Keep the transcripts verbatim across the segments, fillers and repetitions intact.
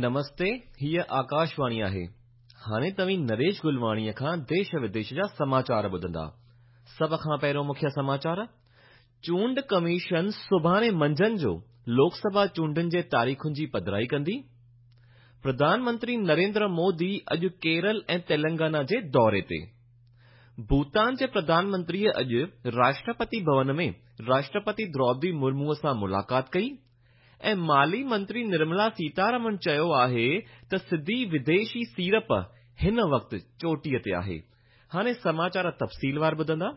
نمستي، هيءَ آڪاشواڻي آهي. هاڻي توهين نريش گلواڻيءَ کان ديش وديش جا سماچار ٻڌندا. سڀ کان پهريون مکيه سماچار، چونڊ ڪميشن سڀاڻي منجهند جو لوڪ سڀا چونڊن جي تاريخن جي پڌرائي ڪندي. پرڌان منتري نريندر مودي اڄ ڪيرل ۽ تيلنگانا جي دوري تي. ڀوٽان جي پرڌان منتريءَ اڄ راشٽرپتي ڀون ۾ راشٽرپتي دروپدي مرموءَ سان ملاقات ڪئي ۽ مالي منتري نرملا سيتارمن چيو آهي ته سڌي وديشي سيڙپ هن وقت چوٽيءَ تي آهي. هاڻي سماچار تفصيلوار ٻڌندا.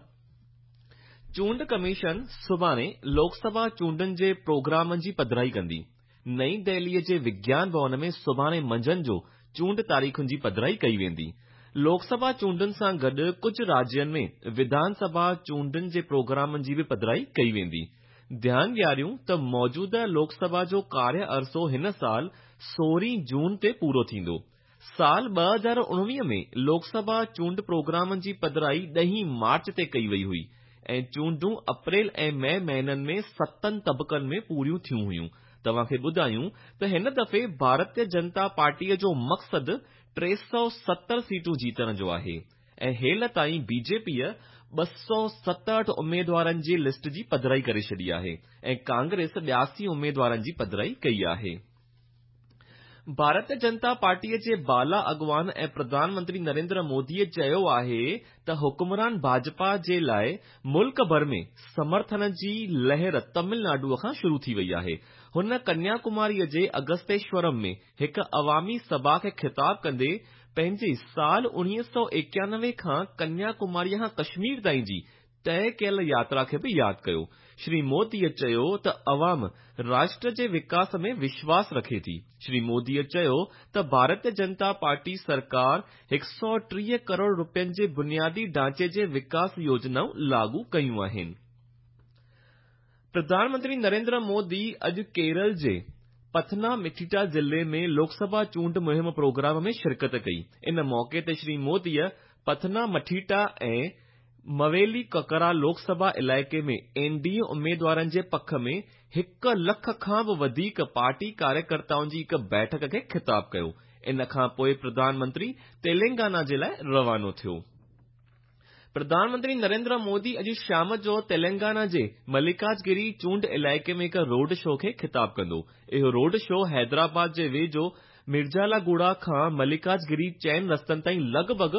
چونڊ ڪميشن سڀاڻي لوڪ سڀا چونڊن جي پروگرامن جي پڌرائي ڪندي. نئين دهليءَ جي وگيان ڀون ۾ سڀاڻي منجهند جو چونڊ تاريخن جي پڌرائي ڪئي ويندي. لوڪ سڀا چونڊن سان گڏ ڪجهه راجين ۾ وڌان سڀا چونڊن جي پروگرامن جي به پڌرائي ڪئي ويندي. ڌيان ڏياريون ته موجوده لوڪ سڀا جو ڪاريه عرصو هن سال سورهين جون تي پورو ٿيندو. سال ٻه هزار اڻويهه ۾ لوڪ سڀا چونڊ پروگرامن جي پڌرائي ڏهين مارچ تي ڪئي وئي هئي ۽ چونڊون اپريل ۽ مئي مهينن ۾ ستن طبقن ۾ پوريون ٿيون هيون. توهان کي ٻڌايون ته هن دفعي ڀارتيه جنتا پارٽيءَ جو مقصد ٽي سؤ ستر سيٽون جيتڻ جو آهي ۽ هيل تائين بي جي پيءَ ٻه سؤ ستهٺ اميدوارن جي لسٽ جي پڌرائي ڪري ڇڏي آهي ۽ ڪانگريس ٻياسي اميدوارن جي پڌرائي ڪئي آهي. ڀارتيه جنتا پارٽيءَ جي بالا اڳواڻ ۽ پرڌان منتري نريندر موديءَ چيو آهي ته حڪمران ڀاجپا جي لاءِ ملڪ ڀر ۾ سمرٿن جي لهر تامل ناڊوءَ کان شروع ٿي وئي آهي. هن ڪنيا ڪماريءَ جي اگستيشورم ۾ هڪ عوامي سڀا کي خطاب ڪندي پنهنجي سال اڻويهه سؤ ايڪانوي کان ڪنيا ڪماريءَ کان ڪشمير تائين جي طئي ڪيل ياترا کي به ياد ڪيو. شري موديءَ چيو ته عوام راشٽر جي وڪاس ۾ وشواس رکي ٿي. شري موديءَ چيو ته ڀارتيه جنتا پارٽي سرڪار هڪ سؤ ٽيهه ڪروڙ رپين جي بنيادي ڍانچي جي وڪاس يوجنائون لاڳو ڪيون آهن. پرڌان منتري نريندر مودي اڄ ڪيرل جي پٿنا مٺيٽا ضلعي ۾ لوڪ سڀا چونڊ مهم پروگرام ۾ شرڪت ڪئي. ان موقعي تي شري موديءَ پٿنا مٺيٽا ۽ مويلي ڪڪرا لوڪ سڀا علائقي ۾ اين ڊي اي اميدوارن جي پک ۾ هڪ لک کان به وڌيڪ پارٽي ڪاريڪرتائن جي هڪ بيٺڪ کي خطاب ڪيو. ان کان پوءِ پرڌان منتري تيلنگانا جي لاءِ روانو ٿيو. پرڌان منتري نريندر مودي اڄ شام جو تيلنگانا جي ملڪاجگري چونڊ علائقي ۾ هڪ روڊ شو کي خطاب ڪندو. اهو روڊ شو حيدرآباد جي ويجهو مرجالاگوڙا کان ملڪاجگري چئن رستن تائين لڳ ڀڳ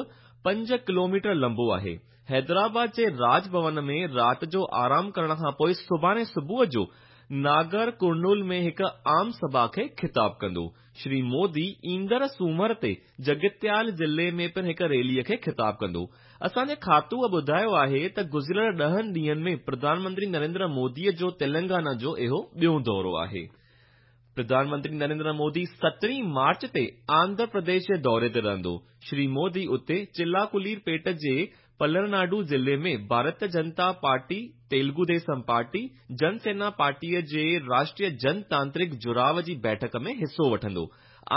پنج ڪلو ميٽر لمبو آهي. حيدرآباد جي راج ڀون ۾ رات جو آرام ڪرڻ کان پوءِ سڀاڻي صبح جو ناگر ڪرنول ۾ هڪ عام سڀا کي خطاب ڪندو. شري مودي ايندڙ سومر تي جگتيال ضلعي ۾ پڻ هڪ ريليءَ کي خطاب ڪندو. اسان جي کاتوءَ ٻڌايو آهي ته گذريل ڏهن ڏينهن ۾ پرڌان منتري نريندر موديءَ جو تيلنگانا جو اهو ٻيون دورو آهي. پرڌان منتري نريندر مودي سترهين مارچ تي آنڌرا پرديش جي دوري تي رهندو. شري مودي اتي چلاڪلير پيٽ جي پلرناڊو ضلعي ۾ ڀارتيه جنتا پارٽي، تيلگو ديسم پارٽي، جن سينا پارٽيءَ جي راشٽريه جنتانترڪ جڙاءُ جي بيٺڪ ۾ حصو وٺندو.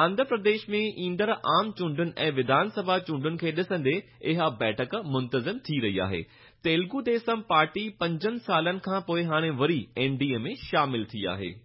آنڌرا پرديش ۾ ايندڙ عام چونڊن ۽ وڌان سڀا چونڊن کي ڏسندي اها بيٺڪ منتظم ٿي رهي آهي. تيلگو ديسم پارٽي پنجن سالن کان پوءِ هاڻي وري اين ڊي اي ۾ شامل ٿي آهي.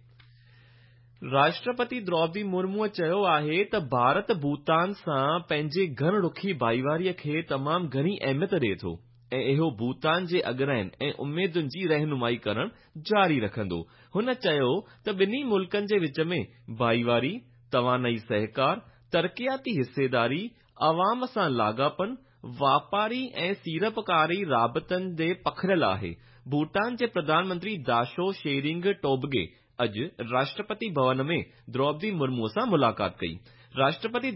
راشٽرپتي دروپدي مرموءَ چيو آهي ته ڀارت ڀوٽان سان پنهنجي گهڻ رخي ڀائيواريءَ کي تمام گهڻي اهميت ڏئي ٿو ۽ اهو ڀوٽان جي اڳراين ۽ اميدن جي رهنمائي ڪرڻ جاري رکندو. هن چيو ته ٻنهي ملڪن جي وچ ۾ ڀائيواري، توانائي سهڪار، ترقياتي حصيداري، عوام سان لاڳاپن، واپاري ۽ سيڙپڪاري رابطن تي پکڙيل آهي. ڀوٽان جي پرڌان منتري داشو شيرنگ ٽوبگي اڄ راشٽرپتي ڀون ۾ دروپدي مرموءَ سان ملاقات ڪئي. راشٽرپتي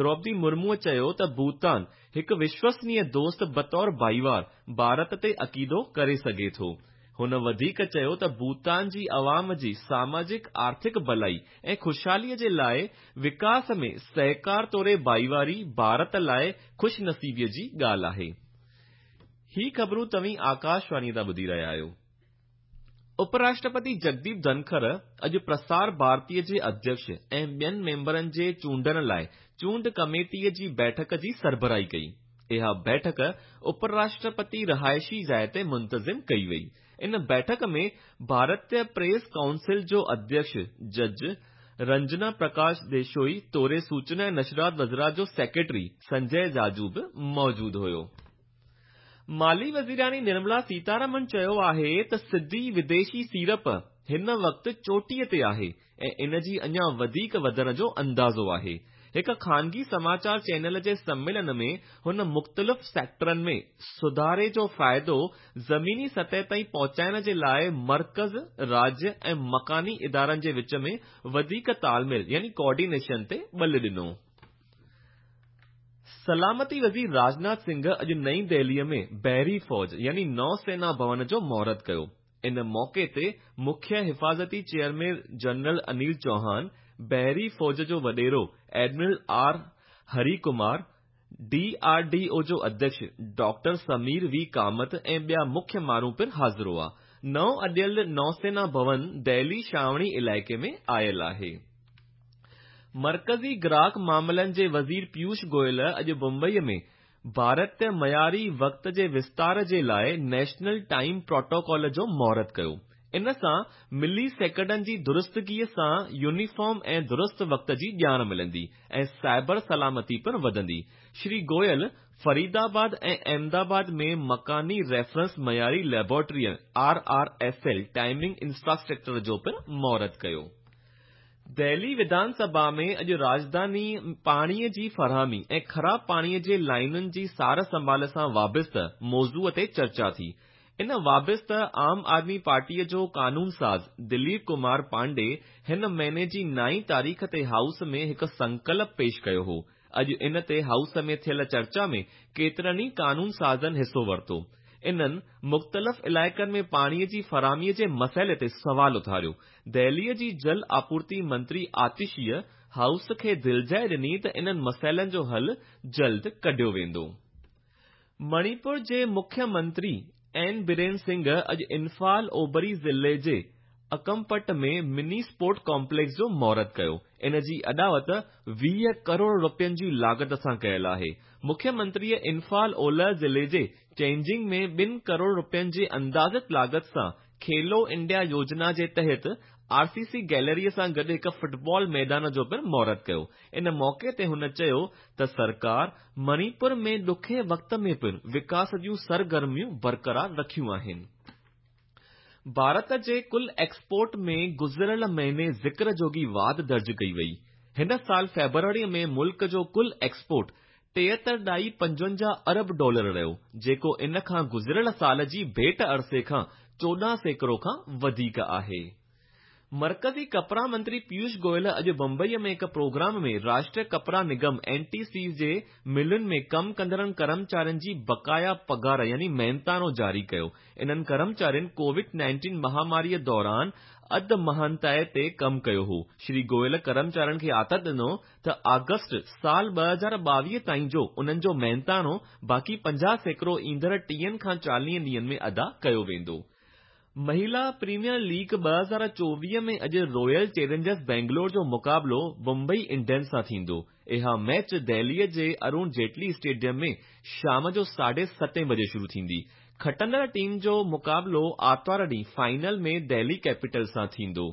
دروپدي مرموءَ چيو ته ڀوٽان هڪ وشوسنيه دوست بطور ڀائيوار ڀارت تي عقيدو ڪري سگهي ٿو. هن وڌيڪ چيو ته ڀوٽان جي عوام جي ساماجڪ آرٿڪ ڀلائي ۽ خوشحاليءَ جي لاءِ وڪاس ۾ سهڪار توڙي ڀائيواري ڀارت لاءِ خوشنصيبيءَ جي ڳالهه آهي. هي خبرون توهين آڪاشواڻيءَ تان ٻڌي رهيا آهيو. اپراشٽرپتي جگديپ ڌنکر اڄ پرسار ڀارتيءَ جي اڌيڪش ۽ ٻين ميمبرن جي چونڊڻ لاءِ چونڊ ڪميٽيءَ جي بيٺڪ جي سربراهي ڪئي. اها بيٺڪ اپراشٽرپتي رهائشي جاءِ تي منتظم ڪئي وئي. ان بيٺڪ ۾ ڀارتيه پريس ڪائونسل جو اڌيڪش جج رنجنا پرڪاش ديشوئي توڙي سوچنا ۽ نشرات وزارت جو سيڪريٽري سنجي جاجو به موجود هيو. مالي وزيراڻي نرملا سيتارمن چيو آهي ته سڌي وديشي سيڙپ هن وقت چوٽيءَ تي آهي ۽ ان جي اڃا وڌيڪ وڌڻ جو اندازو آهي. هڪ خانگي سماچار چينل جي سميلن ۾ هن مختلف سيڪٽرن ۾ سڌاري جو فائدو زميني سطح تائين پهچائڻ جي لاءِ مرڪز، راجيه ۽ مڪاني ادارن جي وچ ۾ وڌيڪ تال ميل يعني ڪوآرڊينيشن تي ٻل ڏنو. سلامتي وزير راجناٿ سنگهه اڄ نئين دهليءَ ۾ بحري فوج يعني نوسينا ڀون جو مهورت ڪيو. ان موقعي تي مکيه حفاظتي چيئرمين جنرل انيل چوهان، بحري فوج جو وڏيرو admiral R Hari Kumar, D R D O جو اڌيڪش ڊاڪٽر سمير وي ڪامت ۽ ٻيا مکيه ماڻهو پڻ حاضر هئا. نئون اڏيل نوسينا ڀون دهلي ڇانوڻي علائقي ۾ آيل آهي. مرڪزي گراهڪ معاملن جي وزير پيوش گويل اڄ بمبئي ۾ ڀارتيه معياري وقت جي وستار جي لاءِ نيشنل ٽائيم پروٽوڪول جو مهورت ڪيو. ان سان ملي سيڪنڊن جي درستگيءَ سان يونيفارم ۽ درست وقت جي ڄاڻ ملندي ۽ سائبر سلامتي پڻ وڌندي. شري گويل فريدآباد ۽ احمدآباد ۾ مڪاني ريفرنس معياري laboratory R R S L timing infrastructure جو پڻ مهورت ڪيو. دهلي وڌان سڀا ۾ اڄ راڄڌاني پاڻيءَ جي فراهمي ۽ خراب پاڻيءَ جي لائنن جي سار سنڀال سان وابسته موضوع تي چرچا ٿي. ان وابسته عام آدمي پارٽيءَ جو قانون ساز دليپ ڪمار پانڊي هن مهيني جي نائين تاريخ تي هائوس ۾ هڪ سنڪلپ پيش ڪيو هو. اڄ ان تي هائوس ۾ ٿيل چرچا ۾ ڪيترن ئي قانون سازن حصو ورتو. انهن مختلف علائقن ۾ پاڻيءَ جي فراهميءَ جي مسئلي تي سوال اٿاريو. دهليءَ جي جل آپورتي منتري آتشيءَ هائوس کي دلجاءِ ڏني ته انهن مسئلن جو حل جلد ڪڍيو ويندو. مڻيپور جي مکيه منتري اين برين سنگهه اڄ انفال اوڀري ضلعي جي اڪمپٽ ۾ مني اسپورٽ ڪامپليڪس جو مهورت ڪيو. ان جي اڏاوت ويهه ڪروڙ رپين جي لاڳت سان ڪيل آهي. مکيه منتريءَ انفال اولهه ضلعي جي چينجنگ ۾ ٻن ڪروڙ رپين جي اندازت لاڳت سان کيلو انڊيا يوجنا جي تحت آر سي سي گيلريءَ سان گڏ هڪ فٽبال ميدان جو پڻ مهورت ڪيو. ان موقعي تي هن چيو ته سرڪار مڻيپور ۾ ڏکي وقت ۾ پڻ وڪاس جون سرگرميون برقرار رکيون آهن. ڀارت جي ڪل ايڪسپورٽ ۾ گذريل مهيني ذڪر جوڳي واڌ درج ڪئي وئي. هن سال فيبروريءَ ۾ ملڪ جو ڪل ايڪسپورٽ ٽيهتر ڏهائي پنجونجاهه ارب ڊالر رهيو، جيڪو ان کان گذريل سال جي ڀيٽ عرصي کان چوڏهن سيڪڙو کان وڌيڪ آهي. مرڪزي ڪپڙا منتري پيوش گويل اڄ بمبئيءَ ۾ هڪ پروگرام ۾ راشٽريه ڪپڙا نگم اين ٽي سي جي ملن ۾ ڪم ڪندڙن ڪرمچارين جي بقايا پگهار يعني محنتاڻو جاري ڪيو. انهن ڪرمچارين ڪووڊ نائنٽين مهاماريءَ دوران اڌ مهانتائي تي ڪم ڪيو هو. شري گويل ڪرمچارين کي آٿت ڏنو ته آگسٽ سال ٻه هزار ٻاويهه تائين جو انهن جو محنتاڻو باقي پنجاهه سيڪڙو ايندڙ ٽيهن کان چاليهه ڏينهن ۾ ادا ڪيو ويندو. مهلا پريميئر ليگ ٻه هزار چوويهه ۾ اڄ رائل چئلينجرس بينگلور جو مقابلو بمبئي انڊينز سان ٿيندو. اها ميچ دهليءَ جي ارون جيٽلي اسٽيڊيم ۾ شام جو ساڍي ستين بجي شروع ٿيندي. کٽندڙ ٽيم جو مقابلو آرتوار ڏينهن فائنل ۾ دهلي ڪيپيٽل سان ٿيندو.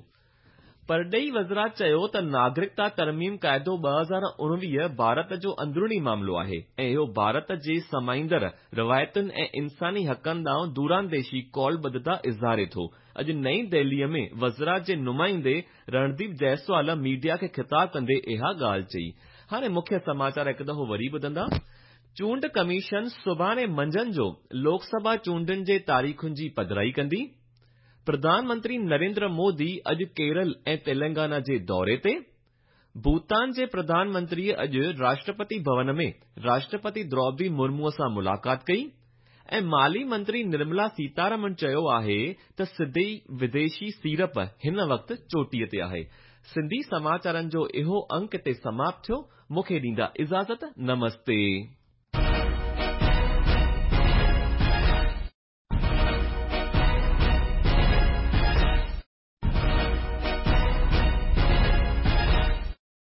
پرڏيهي وزارت چيو ته ناگرڪتا ترميم قاعدو ٻه هزار اڻويهه ڀارت جو اندروني معاملو آهي ۽ اهو ڀارت جي سمائيندڙ روايتن ۽ انساني حقن ڏانهن دورانديشي قولبڌتا اظهاري ٿو. اڄ نئين دهليءَ ۾ وزارت جي نمائندي رڻديپ جئسوال ميڊيا کي خطاب ڪندي اها ڳالهه چئي. هاڻي مکيه سماچار هڪ دفعو وري ٻڌندا. چونڊ ڪميشن سڀاڻي منجهند جو لوڪ سڀا چونڊن جي تاريخن جي پڌرائي ڪندي. پرڌان منتري نريندر مودي اڄ ڪيرل ۽ تلنگانا جي دوري تي. ڀوٽان جي پرڌان منتريءَ اڄ راشٽرپتي ڀون ۾ راشٽرپتي دروپدي مرموءَ سان ملاقات ڪئي ۽ مالي منتري نرملا سيتارمن چيو آهي ته سڌي وديشي سيڙپ هن وقت چوٽيءَ تي آهي. سنڌي سماچارن جو اهو انڪ هتي سماپت ٿيو. مون کي ڏيندا اجازت. نمستي.